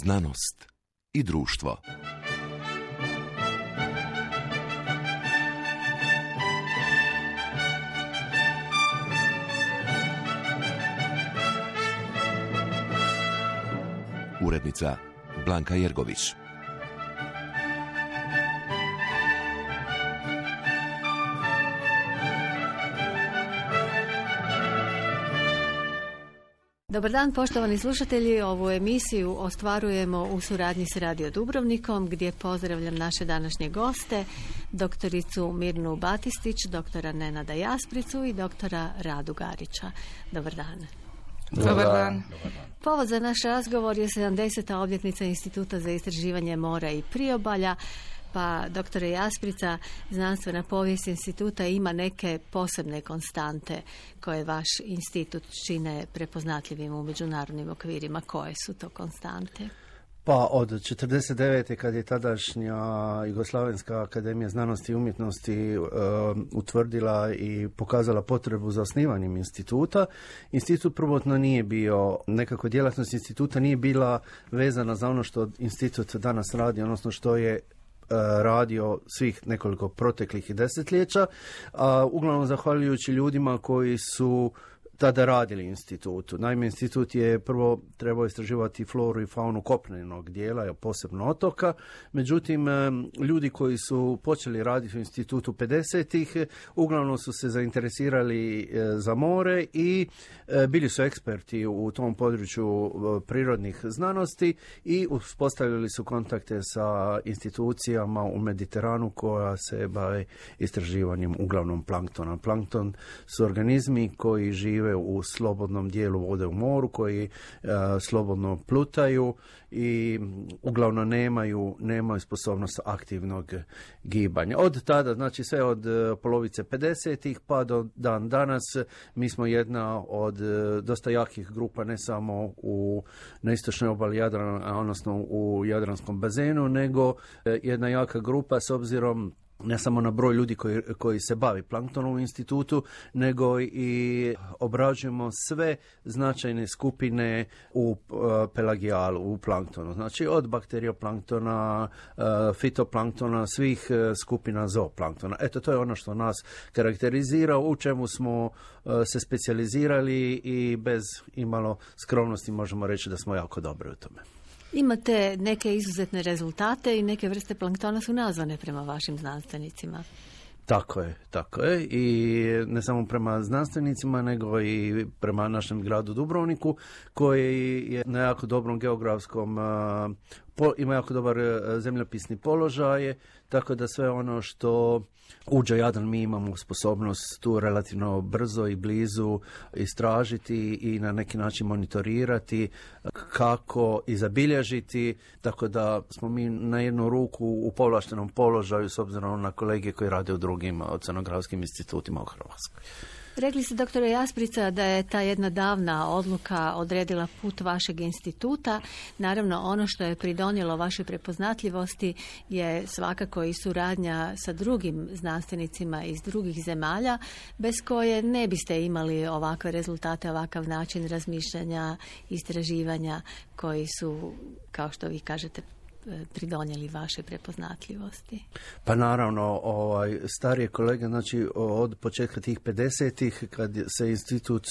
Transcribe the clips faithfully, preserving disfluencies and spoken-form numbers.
Znanost i društvo. Urednica Blanka Jergović. Dobar dan, poštovani slušatelji. Ovu emisiju ostvarujemo u suradnji s Radio Dubrovnikom, gdje pozdravljam naše današnje goste, doktoricu Mirnu Batistić, doktora Nenada Jaspricu i doktora Radu Garića. Dobar dan. Dobar, Dobar dan. Povod za naš razgovor je sedamdeseta obljetnica Instituta za istraživanje mora i priobalja. Pa, doktore Jasprica, znanstvena povijest instituta ima neke posebne konstante koje vaš institut čine prepoznatljivim u međunarodnim okvirima. Koje su to konstante? Pa od četrdeset devete kad je tadašnja Jugoslavenska akademija znanosti i umjetnosti uh, utvrdila i pokazala potrebu za osnivanjem instituta, institut prvotno nije bio, nekako djelatnost instituta nije bila vezana za ono što institut danas radi, odnosno što je radio svih nekoliko proteklih desetljeća, a uglavnom zahvaljujući ljudima koji su tada radili institutu. Naime, institut je prvo trebao istraživati floru i faunu kopnenog dijela, posebno otoka. Međutim, ljudi koji su počeli raditi u institutu pedesetih uglavnom su se zainteresirali za more i bili su eksperti u tom području prirodnih znanosti i uspostavili su kontakte sa institucijama u Mediteranu koja se bave istraživanjem uglavnom planktona. Plankton su organizmi koji žive u slobodnom dijelu vode u moru, koji uh, slobodno plutaju i uglavnom nemaju, nemaju sposobnost aktivnog gibanja. Od tada, znači sve od uh, polovice pedesetih pa do dan danas, mi smo jedna od uh, dosta jakih grupa, ne samo u, na istočnoj obali Jadrana, odnosno u Jadranskom bazenu, nego uh, jedna jaka grupa s obzirom ne samo na broj ljudi koji, koji se bavi planktonom u institutu, nego i obrađujemo sve značajne skupine u uh, pelagijalu, u planktonu. Znači od bakterioplanktona, uh, fitoplanktona, svih uh, skupina zooplanktona. Eto, to je ono što nas karakterizira, u čemu smo uh, se specijalizirali i bez imalo skromnosti možemo reći da smo jako dobri u tome. Imate neke izuzetne rezultate i neke vrste planktona su nazvane prema vašim znanstvenicima. Tako je, tako je. I ne samo prema znanstvenicima, nego i prema našem gradu Dubrovniku, koji je na jako dobrom geografskom, po, ima jako dobar zemljopisni položaj, tako da sve ono što uđe Jadran mi imamo sposobnost tu relativno brzo i blizu istražiti i na neki način monitorirati kako i zabilježiti, tako da smo mi na jednu ruku u povlaštenom položaju s obzirom na kolege koji rade u drugim oceanografskim institutima u Hrvatskoj. Rekli ste, doktore Jasprica, da je ta jedna davna odluka odredila put vašeg instituta. Naravno, ono što je pridonijelo vašoj prepoznatljivosti je svakako i suradnja sa drugim znanstvenicima iz drugih zemalja, bez koje ne biste imali ovakve rezultate, ovakav način razmišljanja, istraživanja koji su, kao što vi kažete, pridonijeli vaše prepoznatljivosti. Pa naravno, ovaj, starije kolege, znači od početka tih pedesetih, kad se institut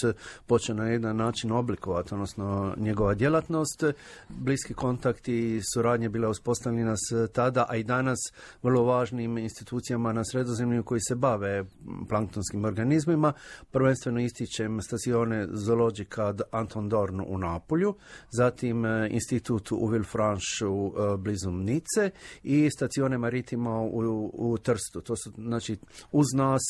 počeo na jedan način oblikovati, odnosno njegova djelatnost, bliski kontakti i suradnje bila uspostavljena s tada, a i danas vrlo važnim institucijama na Sredozemlju koji se bave planktonskim organizmima. Prvenstveno ističem Stazione Zoologica Anton Dorn u Napolju, zatim institut u Villefranche blizu Nice i Stazione Maritima u, u Trstu. To su, znači, uz nas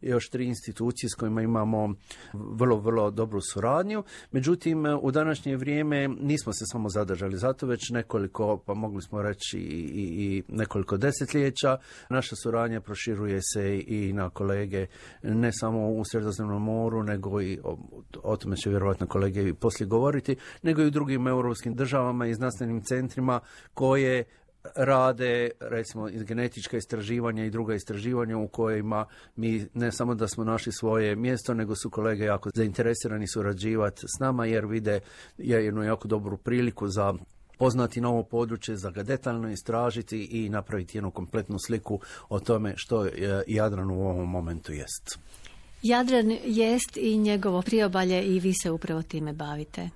još tri institucije s kojima imamo vrlo, vrlo dobru suradnju. Međutim, u današnje vrijeme nismo se samo zadržali zato, već nekoliko, pa mogli smo reći i, i, i nekoliko desetljeća. Naša suradnja proširuje se i na kolege ne samo u Sredozemnom moru, nego i, o, o tome će vjerojatno kolege i poslije govoriti, nego i u drugim europskim državama i znanstvenim centrima koje rade, recimo, genetička istraživanja i druga istraživanja u kojima mi ne samo da smo našli svoje mjesto, nego su kolege jako zainteresirani surađivati s nama jer vide jednu jako dobru priliku za spoznati novo područje, za ga detaljno istražiti i napraviti jednu kompletnu sliku o tome što Jadran u ovom momentu jest. Jadran jest i njegovo priobalje i vi se upravo time bavite.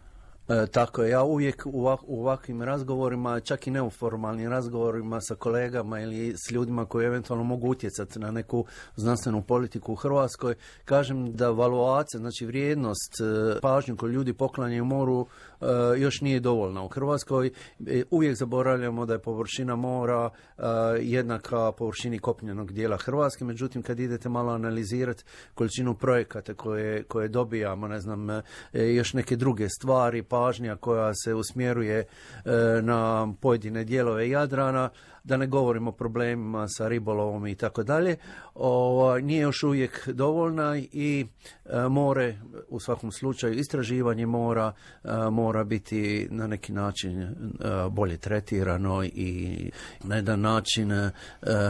E, tako je, ja uvijek u, ovak, u ovakvim razgovorima, čak i neuformalnim razgovorima sa kolegama ili s ljudima koji eventualno mogu utjecati na neku znanstvenu politiku u Hrvatskoj, kažem da valuacija, znači vrijednost, pažnju koju ljudi poklanjaju moru e, još nije dovoljna u Hrvatskoj. E, uvijek zaboravljamo da je površina mora e, jednaka površini kopnenog dijela Hrvatske, međutim kad idete malo analizirati količinu projekata koje, koje dobijamo, ne znam, e, još neke druge stvari, pažnja koja se usmjeruje e, na pojedine dijelove Jadrana, da ne govorimo o problemima sa ribolovom i tako dalje, nije još uvijek dovoljna i e, more, u svakom slučaju istraživanje mora e, mora biti na neki način e, bolje tretirano i na jedan način e,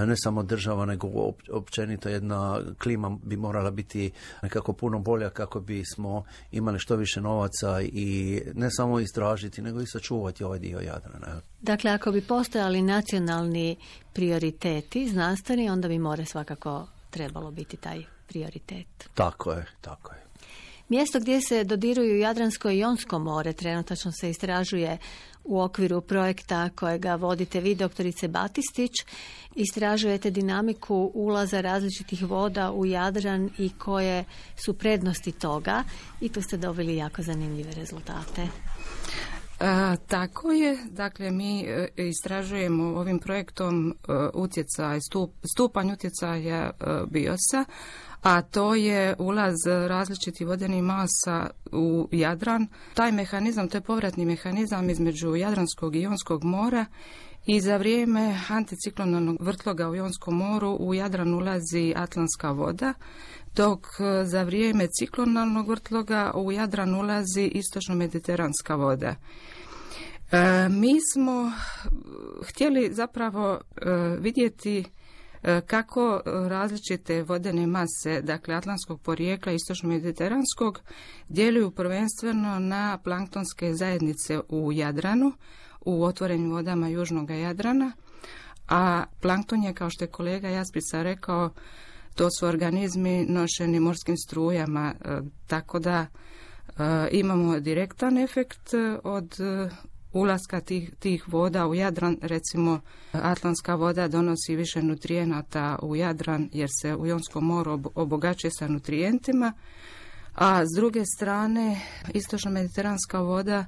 ne samo država, nego općenito jedna klima bi morala biti nekako puno bolja kako bismo imali što više novaca i ne samo istražiti, nego i sačuvati ovaj dio Jadrana. Dakle, ako bi postojali nacionalni prioriteti znanstveni, onda bi more svakako trebalo biti taj prioritet. Tako je, tako je. Mjesto gdje se dodiruju Jadransko i Jonsko more trenutačno se istražuje u okviru projekta kojega vodite vi, doktorice Batistić. Istražujete dinamiku ulaza različitih voda u Jadran i koje su prednosti toga i tu ste dobili jako zanimljive rezultate. A, tako je, dakle mi e, istražujemo ovim projektom e, utjecaj, stup, stupanj utjecaja e, biosa, a to je ulaz različitih vodenih masa u Jadran. Taj mehanizam, to je povratni mehanizam između Jadranskog i Jonskog mora i za vrijeme anticiklonalnog vrtloga u Jonskom moru u Jadran ulazi atlantska voda, dok za vrijeme ciklonalnog vrtloga u Jadran ulazi istočno-mediteranska voda. E, mi smo htjeli zapravo e, vidjeti e, kako različite vodene mase, dakle atlantskog porijekla i istočno-mediteranskog, djeluju prvenstveno na planktonske zajednice u Jadranu, u otvorenim vodama južnog Jadrana, a plankton je, kao što je kolega Jasprica rekao, to su organizmi nošeni morskim strujama, e, tako da e, imamo direktan efekt od e, ulaska tih, tih voda u Jadran. Recimo, atlantska voda donosi više nutrijenata u Jadran jer se u Jonskom moru ob, obogaćuje sa nutrijentima, a s druge strane istočno-mediteranska voda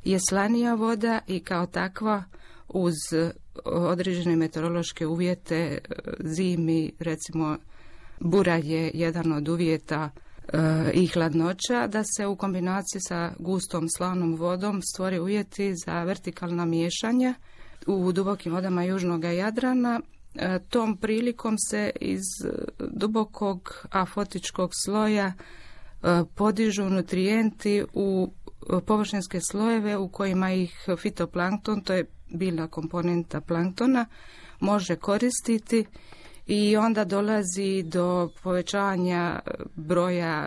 je slanija voda i kao takva uz određene meteorološke uvjete zimi, recimo bura je jedan od uvjeta e, i hladnoća, da se u kombinaciji sa gustom slanom vodom stvore uvjeti za vertikalna miješanja u dubokim vodama južnog Jadrana. E, tom prilikom se iz dubokog afotičkog sloja e, podižu nutrijenti u površinske slojeve u kojima ih fitoplankton, to je biljna komponenta planktona, može koristiti i onda dolazi do povećanja broja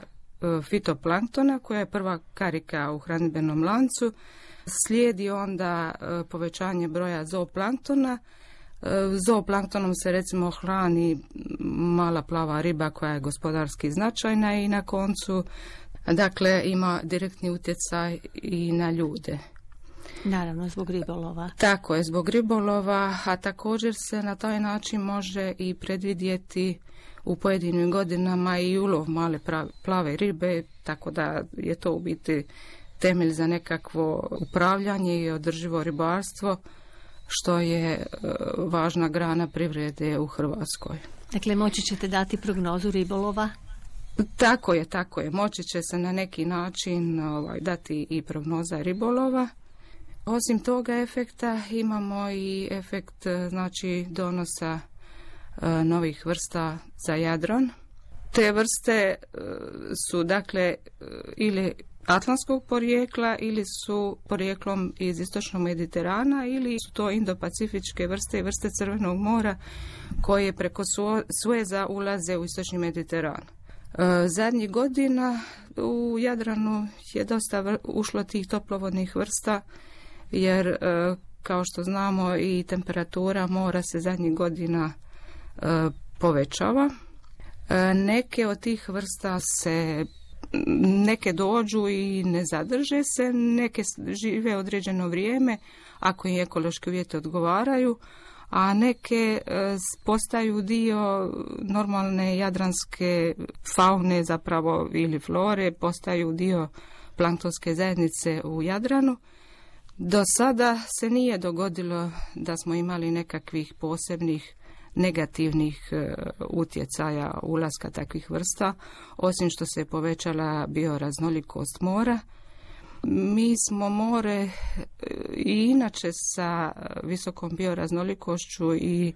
fitoplanktona koja je prva karika u hranidbenom lancu. Slijedi onda povećanje broja zooplanktona. Zooplanktonom se recimo hrani mala plava riba koja je gospodarski značajna i na koncu dakle ima direktni utjecaj i na ljude. Naravno, zbog ribolova. Tako je, zbog ribolova, a također se na taj način može i predvidjeti u pojedinim godinama i ulov male plave ribe, tako da je to u biti temelj za nekakvo upravljanje i održivo ribarstvo, što je važna grana privrede u Hrvatskoj. Dakle, moći ćete dati prognozu ribolova? Tako je, tako je. Moći će se na neki način ovaj, dati i prognoza ribolova. Osim toga efekta imamo i efekt znači donosa e, novih vrsta za Jadran. Te vrste e, su dakle e, ili atlantskog porijekla ili su porijeklom iz istočnog Mediterana ili su to indopacifičke vrste i vrste Crvenog mora koje preko Sueza ulaze u istočni Mediteran. E, zadnjih godina u Jadranu je dosta vr- ušlo tih toplovodnih vrsta jer e, kao što znamo i temperatura mora se zadnjih godina e, povećava. E, neke od tih vrsta se, neke dođu i ne zadrže se, neke žive određeno vrijeme ako im ekološki uvjeti odgovaraju, a neke e, postaju dio normalne jadranske faune zapravo ili flore, postaju dio planktonske zajednice u Jadranu. Do sada se nije dogodilo da smo imali nekakvih posebnih negativnih e, utjecaja ulaska takvih vrsta, osim što se povećala bioraznolikost mora. Mi smo more i inače sa visokom bioraznolikošću i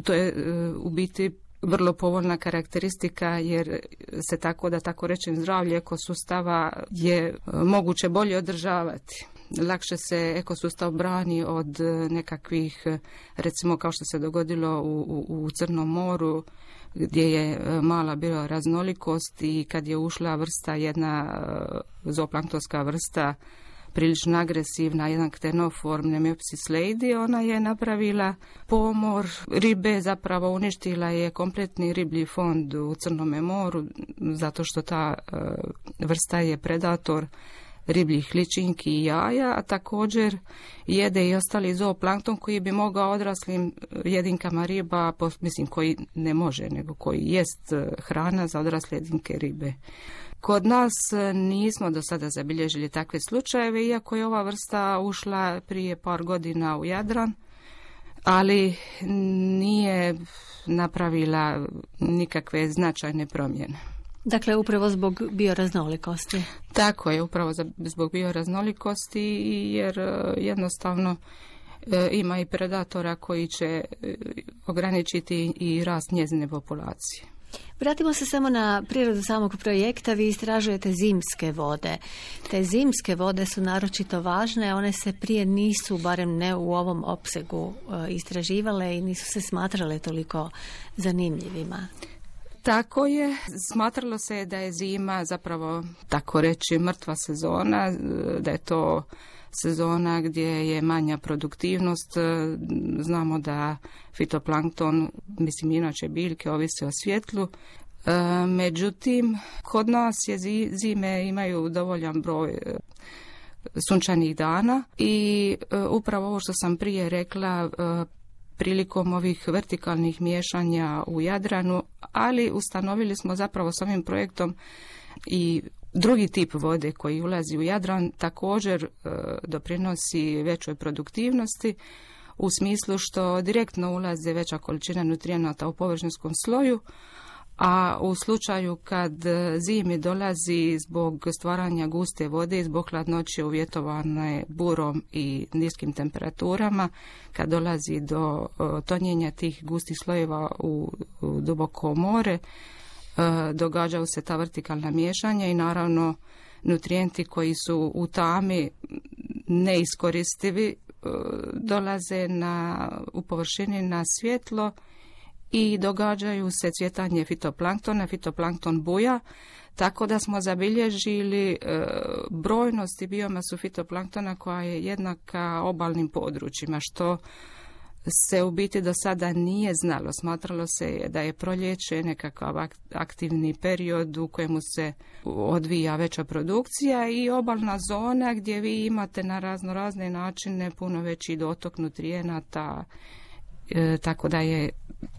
to je e, u biti vrlo povoljna karakteristika jer se tako da tako rečem zdravlje ekosustava je moguće bolje održavati. Lakše se ekosustav brani od nekakvih, recimo kao što se dogodilo u, u, u Crnom moru, gdje je mala bioraznolikost i kad je ušla vrsta, jedna zooplanktonska vrsta, prilično agresivna, jedan ktenoform Nemopsis leidi, ona je napravila pomor ribe, zapravo uništila je kompletni riblji fond u Crnome moru, zato što ta vrsta je predator ribljih ličinki i jaja, a također jede i ostali zooplankton koji bi mogao odraslim jedinkama riba, mislim koji ne može, nego koji jest hrana za odrasle jedinke ribe. Kod nas nismo do sada zabilježili takve slučajeve, iako je ova vrsta ušla prije par godina u Jadran, ali nije napravila nikakve značajne promjene. Dakle, upravo zbog bioraznolikosti. Tako je, upravo zbog bioraznolikosti, jer jednostavno ima i predatora koji će ograničiti i rast njezine populacije. Vratimo se samo na prirodu samog projekta. Vi istražujete zimske vode. Te zimske vode su naročito važne, one se prije nisu, barem ne u ovom opsegu, istraživale i nisu se smatrale toliko zanimljivima. Tako je, smatralo se da je zima zapravo, tako reći, mrtva sezona, da je to sezona gdje je manja produktivnost. Znamo da fitoplankton, mislim inače biljke, ovise o svjetlu. Međutim, kod nas je zime imaju dovoljan broj sunčanih dana i upravo ovo što sam prije rekla, prilikom ovih vertikalnih miješanja u Jadranu, ali ustanovili smo zapravo s ovim projektom i drugi tip vode koji ulazi u Jadran također e, doprinosi većoj produktivnosti u smislu što direktno ulaze veća količina nutrijenata u površinskom sloju, a u slučaju kad zimi dolazi zbog stvaranja guste vode i zbog hladnoće uvjetovane burom i niskim temperaturama, kad dolazi do tonjenja tih gustih slojeva u, u duboko more, događaju se ta vertikalna miješanja i naravno nutrijenti koji su u tami neiskoristivi dolaze na, u površini na svjetlo i događaju se cvjetanje fitoplanktona, fitoplankton buja, tako da smo zabilježili e, brojnost i biomasu fitoplanktona koja je jednaka obalnim područjima, što se u biti do sada nije znalo. Smatralo se da je proljeće nekakav aktivni period u kojemu se odvija veća produkcija i obalna zona gdje vi imate na razno razne načine puno veći dotok nutrijenata, e, tako da je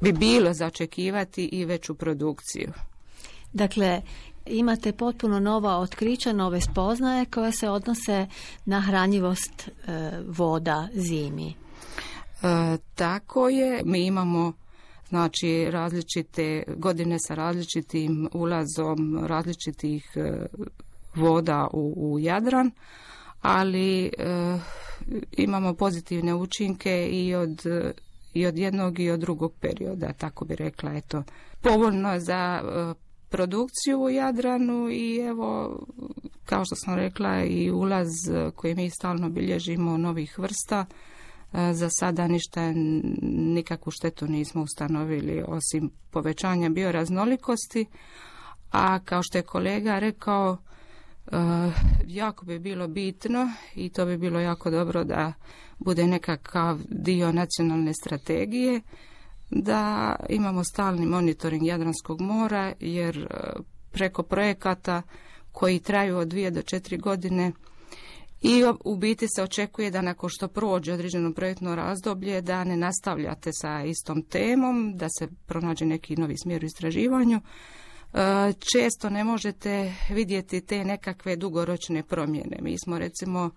bi bilo za očekivati i veću produkciju. Dakle, imate potpuno nova otkrića, nove spoznaje koje se odnose na hranjivost e, voda zimi. E, tako je. Mi imamo znači različite godine sa različitim ulazom različitih e, voda u, u Jadran, ali e, imamo pozitivne učinke i od i od jednog i od drugog perioda, tako bi rekla, eto, povoljno za e, produkciju u Jadranu i evo, kao što sam rekla, i ulaz koji mi stalno bilježimo novih vrsta, e, za sada ništa, nikakvu štetu nismo ustanovili osim povećanja bioraznolikosti, a kao što je kolega rekao, jako bi bilo bitno i to bi bilo jako dobro da bude nekakav dio nacionalne strategije, da imamo stalni monitoring Jadranskog mora, jer preko projekata koji traju od dvije do četiri godine i u biti se očekuje da nakon što prođe određeno projektno razdoblje da ne nastavljate sa istom temom, da se pronađe neki novi smjer u istraživanju. Često ne možete vidjeti te nekakve dugoročne promjene. Mi smo recimo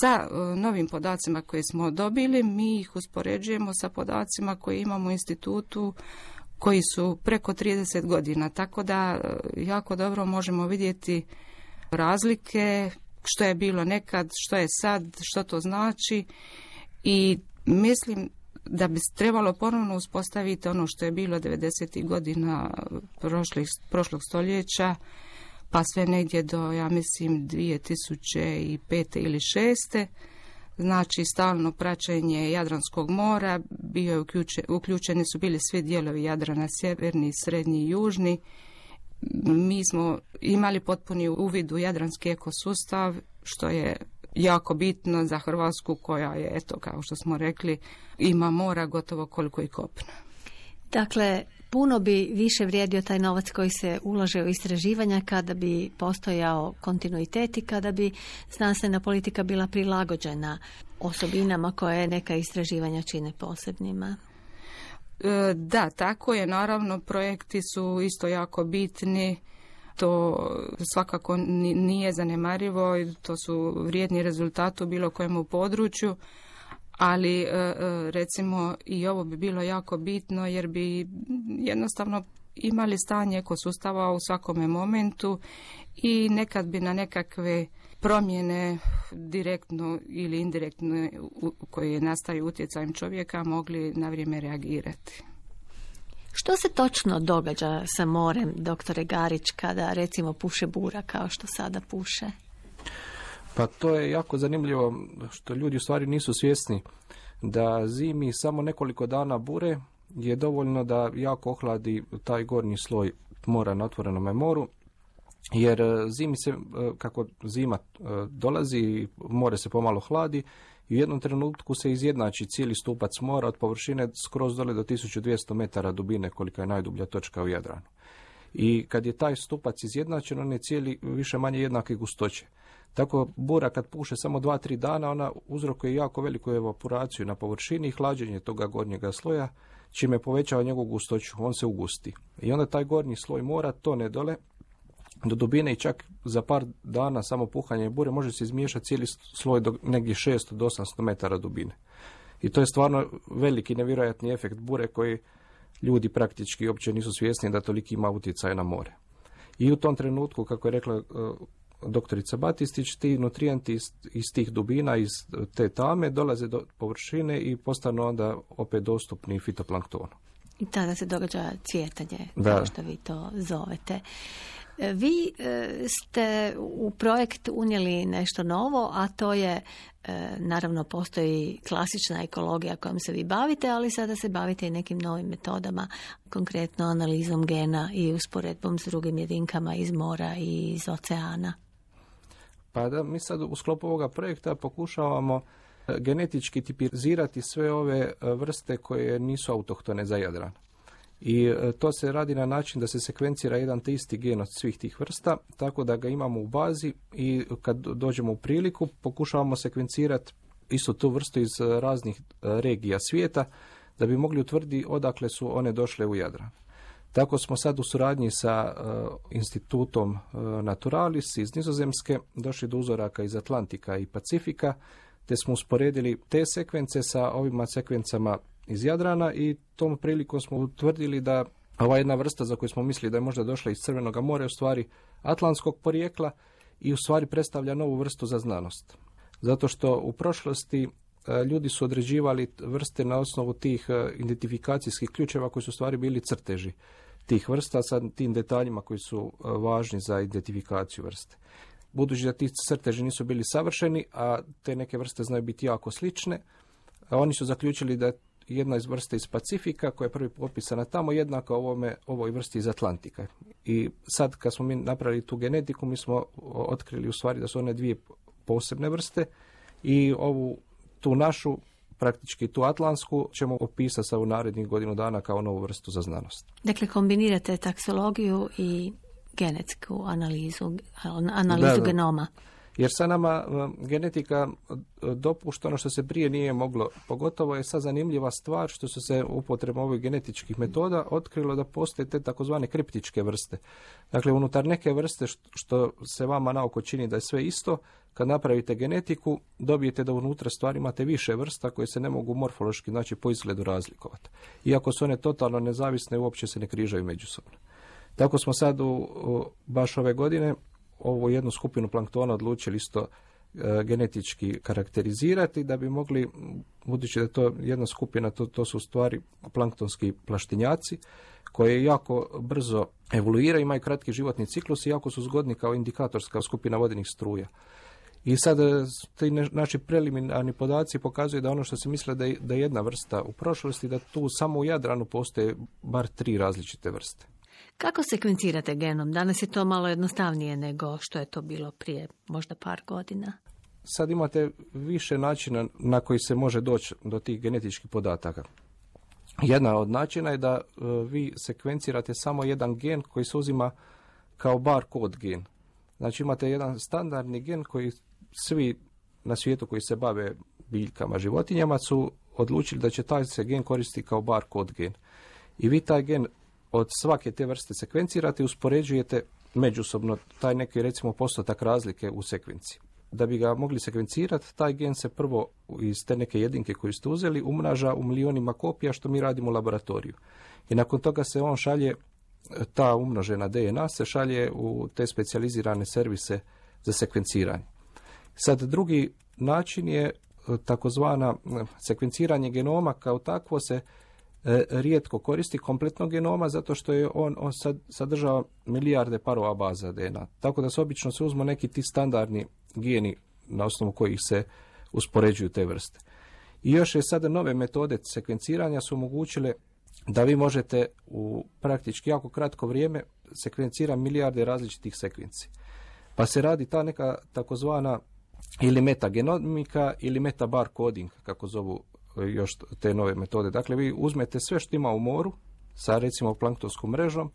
sa novim podacima koje smo dobili, mi ih uspoređujemo sa podacima koje imamo u institutu koji su preko trideset godina, tako da jako dobro možemo vidjeti razlike, što je bilo nekad, što je sad, što to znači i mislim da bi trebalo ponovno uspostaviti ono što je bilo devedesetih godina prošlih, prošlog stoljeća, pa sve negdje do, ja mislim, dvije tisuće pete ili šeste. Znači, stalno praćenje Jadranskog mora, bio je uključen, uključeni su bili svi dijelovi Jadrana, sjeverni, srednji i južni. Mi smo imali potpuni uvid u jadranski ekosustav, što je jako bitno za Hrvatsku koja je, eto, kao što smo rekli, ima mora gotovo koliko i kopna. Dakle, puno bi više vrijedio taj novac koji se ulaže u istraživanja kada bi postojao kontinuitet i kada bi znanstvena politika bila prilagođena osobinama koje neka istraživanja čine posebnima. Da, tako je. Naravno, projekti su isto jako bitni. To svakako nije zanemarivo, to su vrijedni rezultati u bilo kojem području, ali recimo i ovo bi bilo jako bitno jer bi jednostavno imali stanje ekosustava u svakome momentu i nekad bi na nekakve promjene direktno ili indirektno koje nastaju utjecajem čovjeka mogli na vrijeme reagirati. Što se točno događa sa morem, doktore Garić, kada recimo puše bura kao što sada puše? Pa to je jako zanimljivo što ljudi u stvari nisu svjesni da zimi samo nekoliko dana bure je dovoljno da jako ohladi taj gornji sloj mora na otvorenom moru, jer zimi se, kako zima dolazi, more se pomalo hladi i u jednom trenutku se izjednači cijeli stupac mora od površine skroz dole do tisuću dvjesto metara dubine, kolika je najdublja točka u Jadranu. I kad je taj stupac izjednačen, on je cijeli više manje jednake gustoće. Tako bura kad puše samo dva tri dana, ona uzrokuje jako veliku evaporaciju na površini i hlađenje toga gornjega sloja, čime povećava njegovu gustoću, on se ugusti. I onda taj gornji sloj mora tone dole do dubine i čak za par dana samo puhanje bure može se izmiješati cijeli sloj do negdje šesto do osamsto metara dubine. I to je stvarno veliki nevjerojatni efekt bure koji ljudi praktički uopće nisu svjesni da toliki ima utjecaj na more. I u tom trenutku, kako je rekla uh, doktorica Batistić, ti nutrijenti iz, iz tih dubina, iz te tame dolaze do površine i postanu onda opet dostupni fitoplanktonu. I tada se događa cvjetanje, da. Kao što vi to zovete. Vi ste u projekt unijeli nešto novo, a to je, naravno postoji klasična ekologija kojom se vi bavite, ali sada se bavite i nekim novim metodama, konkretno analizom gena i usporedbom s drugim jedinkama iz mora i iz oceana. Pa da, mi sad u sklopu ovoga projekta pokušavamo genetički tipizirati sve ove vrste koje nisu autohtone za Jadran. I to se radi na način da se sekvencira jedan te isti gen od svih tih vrsta, tako da ga imamo u bazi i kad dođemo u priliku pokušavamo sekvencirati istu tu vrstu iz raznih regija svijeta da bi mogli utvrditi odakle su one došle u Jadran. Tako smo sad u suradnji sa uh, institutom uh, Naturalis iz Nizozemske došli do uzoraka iz Atlantika i Pacifika, te smo usporedili te sekvence sa ovima sekvencama iz Jadrana i tom prilikom smo utvrdili da ova jedna vrsta za koju smo mislili da je možda došla iz Crvenog mora je u stvari atlantskog porijekla i u stvari predstavlja novu vrstu za znanost. Zato što u prošlosti ljudi su određivali vrste na osnovu tih identifikacijskih ključeva koji su u stvari bili crteži tih vrsta sa tim detaljima koji su važni za identifikaciju vrste. Budući da ti crteži nisu bili savršeni, a te neke vrste znaju biti jako slične, oni su zaključili da jedna iz vrste iz Pacifika koja je prvi popisana tamo, jednaka ovome, ovoj vrsti iz Atlantika. I sad kad smo mi napravili tu genetiku, mi smo otkrili u stvari da su one dvije posebne vrste i ovu tu našu, praktički tu atlantsku, ćemo opisati sa u narednih godinu dana kao novu vrstu za znanost. Dakle, kombinirate taksologiju i genetsku analizu, analizu da, da. genoma. Jer sad nama genetika dopušta ono što se prije nije moglo. Pogotovo je sad zanimljiva stvar što su se upotrebom ovih genetičkih metoda otkrilo da postoje te takozvane kriptičke vrste. Dakle, unutar neke vrste što se vama naoko čini da je sve isto, kad napravite genetiku, dobijete da unutra stvari imate više vrsta koje se ne mogu morfološki, znači po izgledu razlikovati. Iako su one totalno nezavisne, uopće se ne križaju međusobno. Tako smo sad u, u baš ove godine ovu jednu skupinu planktona odlučili isto e, genetički karakterizirati da bi mogli, budući da je to jedna skupina, to, to su u stvari planktonski plaštinjaci koji jako brzo evoluiraju, imaju kratki životni ciklus i jako su zgodni kao indikatorska skupina vodenih struja. I sad ti naši preliminarni podaci pokazuju da ono što se misle da je, da je jedna vrsta u prošlosti, da tu samo u Jadranu postoje bar tri različite vrste. Kako sekvencirate genom? Danas je to malo jednostavnije nego što je to bilo prije možda par godina. Sad imate više načina na koji se može doći do tih genetičkih podataka. Jedna od načina je da uh, vi sekvencirate samo jedan gen koji se uzima kao barcode gen. Znači imate jedan standardni gen koji svi na svijetu koji se bave biljkama, životinjama su odlučili da će taj se gen koristiti kao barcode gen. I vi taj gen od svake te vrste sekvencirate i uspoređujete međusobno taj neki recimo postotak razlike u sekvenciji. Da bi ga mogli sekvencirati, taj gen se prvo iz te neke jedinke koju ste uzeli umnaža u milionima kopija što mi radimo u laboratoriju. I nakon toga se on šalje, ta umnožena D N A se šalje u te specijalizirane servise za sekvenciranje. Sad drugi način je takozvana sekvenciranje genoma, kao takvo se e, rijetko koristi kompletnog genoma zato što je on, on sad, sadržava milijarde parova baza D N A. Tako da se obično se uzmu neki ti standardni geni na osnovu kojih se uspoređuju te vrste. I još je sada nove metode sekvenciranja su omogućile da vi možete u praktički jako kratko vrijeme sekvencirati milijarde različitih sekvenci. Pa se radi ta neka takozvana ili metagenomika ili metabar coding, kako zovu još te nove metode. Dakle, vi uzmete sve što ima u moru sa recimo planktonskom mrežom,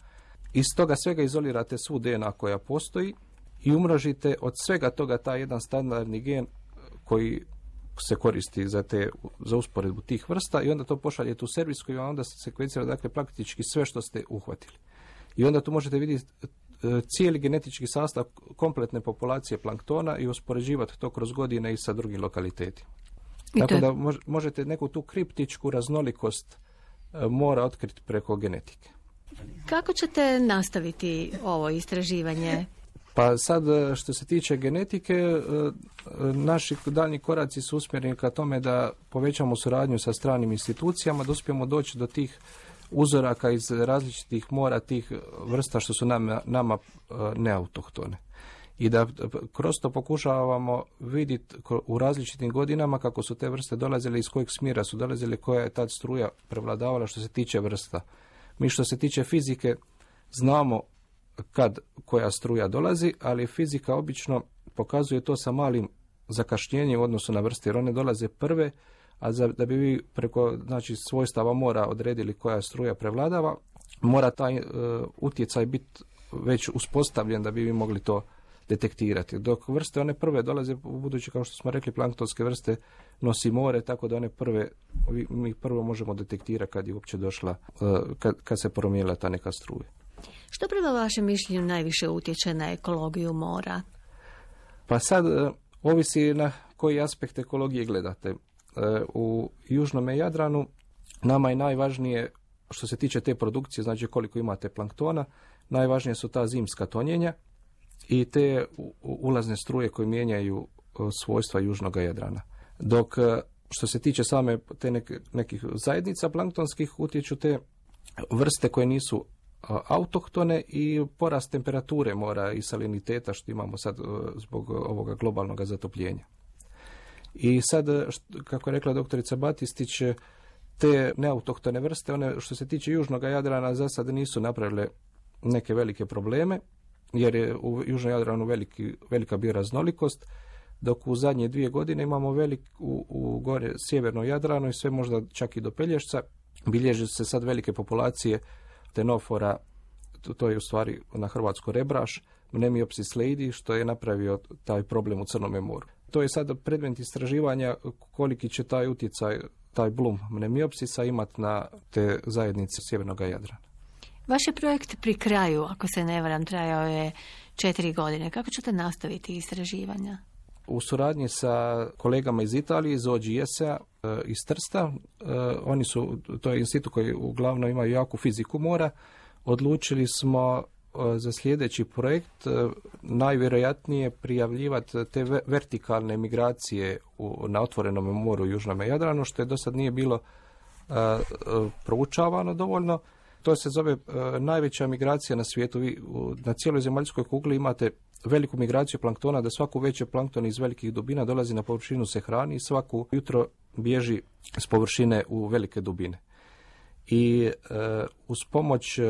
iz toga svega izolirate svu D N A koja postoji i umnožite od svega toga taj jedan standardni gen koji se koristi za, te, za usporedbu tih vrsta i onda to pošaljete u servis koji vam onda se sekvencira, dakle, praktički sve što ste uhvatili. I onda tu možete vidjeti cijeli genetički sastav kompletne populacije planktona i uspoređivati to kroz godine i sa drugim lokalitetima. Tako je... da možete neku tu kriptičku raznolikost mora otkriti preko genetike. Kako ćete nastaviti ovo istraživanje? Pa sad što se tiče genetike, naši daljnji koraci su usmjereni ka tome da povećamo suradnju sa stranim institucijama, da uspijemo doći do tih uzoraka iz različitih mora, tih vrsta što su nama, nama neautohtone. I da kroz to pokušavamo vidjeti u različitim godinama kako su te vrste dolazile, iz kojeg smjera su dolazile, koja je tad struja prevladavala što se tiče vrsta. Mi što se tiče fizike znamo kad koja struja dolazi, ali fizika obično pokazuje to sa malim zakašnjenjem u odnosu na vrste, jer one dolaze prve, a za, da bi vi preko znači, svojstava mora odredili koja struja prevladava, mora taj uh, utjecaj biti već uspostavljen da bi vi mogli to detektirati. Dok vrste one prve dolaze, budući kao što smo rekli, planktonske vrste nosi more, tako da one prve, mi prvo možemo detektirati kad je uopće došla, uh, kad, kad se promijenila ta neka struja. Što prema vašem mišljenju najviše utječe na ekologiju mora? Pa sad uh, ovisi na koji aspekt ekologije gledate. Uh, u južnom Jadranu nama je najvažnije što se tiče te produkcije, znači koliko imate planktona, najvažnije su ta zimska tonjenja i te ulazne struje koje mijenjaju svojstva južnog Jadrana. Dok što se tiče same te neke, nekih zajednica planktonskih utječu te vrste koje nisu autohtone i porast temperature mora i saliniteta što imamo sad zbog ovoga globalnog zatopljenja. I sad, kako je rekla doktorica Batistić, Te neautohtone vrste, one što se tiče južnog Jadrana, za sad nisu napravile neke velike probleme, jer je u južnom Jadranu veliki, velika bioraznolikost, dok u zadnje dvije godine imamo velik, u, u gore sjevernom Jadranu i sve možda čak i do Pelješca, bilježe se sad velike populacije tenofora, to, to je u stvari na hrvatsko rebraš, Mnemiopsis leidi, što je napravio taj problem u Crnome moru. To je sad predmet istraživanja koliki će taj utjecaj, taj blum Mnemiopsisa imati na te zajednice sjevernog Jadrana. Vaš je projekt pri kraju, ako se ne varam, trajao je četiri godine. Kako ćete nastaviti istraživanja? U suradnji sa kolegama iz Italije, iz O G S-a, iz Trsta, oni su, to je institut koji uglavnom imaju jaku fiziku mora, odlučili smo za sljedeći projekt najvjerojatnije prijavljivati te vertikalne migracije u, na otvorenom moru u Južnom Jadranu, što je do sad nije bilo uh, uh, proučavano dovoljno. To se zove uh, najveća migracija na svijetu. Vi u, na cijeloj zemaljskoj kugli imate veliku migraciju planktona, da svaku veće plankton iz velikih dubina dolazi na površinu, se hrani i svaku jutro bježi s površine u velike dubine. I uh, uz pomoć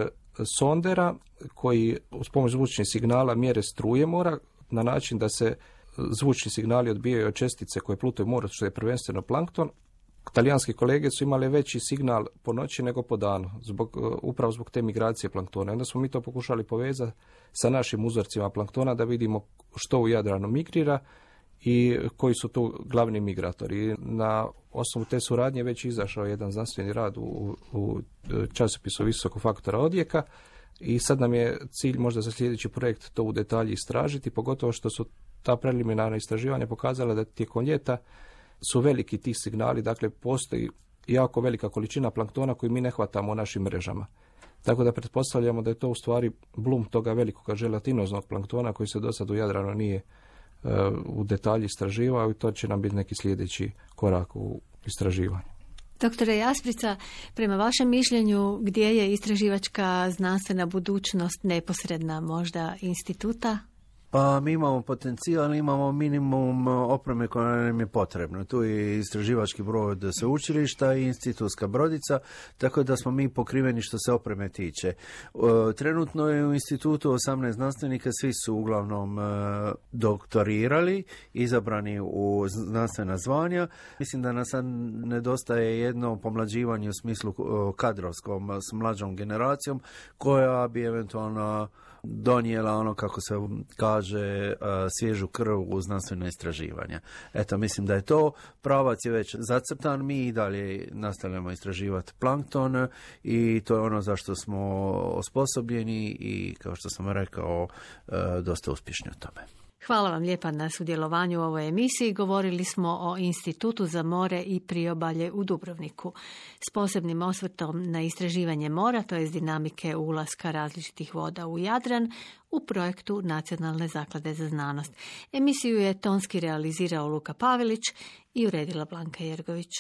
sondera koji uz pomoć zvučnih signala mjere struje mora na način da se zvučni signali odbijaju od čestice koje plutaju u moru, što je prvenstveno plankton. Talijanski kolege su imali veći signal po noći nego po danu, zbog, upravo zbog te migracije planktona. Onda smo mi to pokušali povezati sa našim uzorcima planktona da vidimo što u Jadranu migrira i koji su tu glavni migratori. Na osnovu te suradnje već izašao jedan znanstveni rad u, u časopisu visokog faktora odjeka i sad nam je cilj možda za sljedeći projekt to u detalji istražiti, pogotovo što su ta preliminarna istraživanja pokazala da tijekom ljeta su veliki ti signali, dakle postoji jako velika količina planktona koju mi ne hvatamo u našim mrežama. Tako da pretpostavljamo da je to u stvari blum toga velikog želatinoznog planktona koji se do sad u Jadranu nije u detalji istraživao i to će nam biti neki sljedeći korak u istraživanju. Doktore Jasprica, prema vašem mišljenju, gdje je istraživačka znanstvena budućnost neposredna možda instituta? Pa mi imamo potencijal, ali imamo minimum opreme koja nam je potrebna. Tu je istraživački brod sveučilišta i institutska brodica, tako da smo mi pokriveni što se opreme tiče. Trenutno je u institutu osamnaest znanstvenika, svi su uglavnom doktorirali, izabrani u znanstvena zvanja. Mislim da nas nedostaje jedno pomlađivanje u smislu kadrovskom s mlađom generacijom, koja bi eventualno donijela ono, kako se kaže, svježu krv u znanstveno istraživanje. Eto, mislim da je to. Pravac je već zacrtan, mi i dalje nastavljamo istraživati plankton i to je ono za što smo osposobljeni i, kao što sam rekao, dosta uspješni u tome. Hvala vam lijepa na sudjelovanju u ovoj emisiji. Govorili smo o Institutu za more i priobalje u Dubrovniku s posebnim osvrtom na istraživanje mora, to je dinamike ulaska različitih voda u Jadran, u projektu Nacionalne zaklade za znanost. Emisiju je tonski realizirao Luka Pavelić i uredila Blanka Jergović.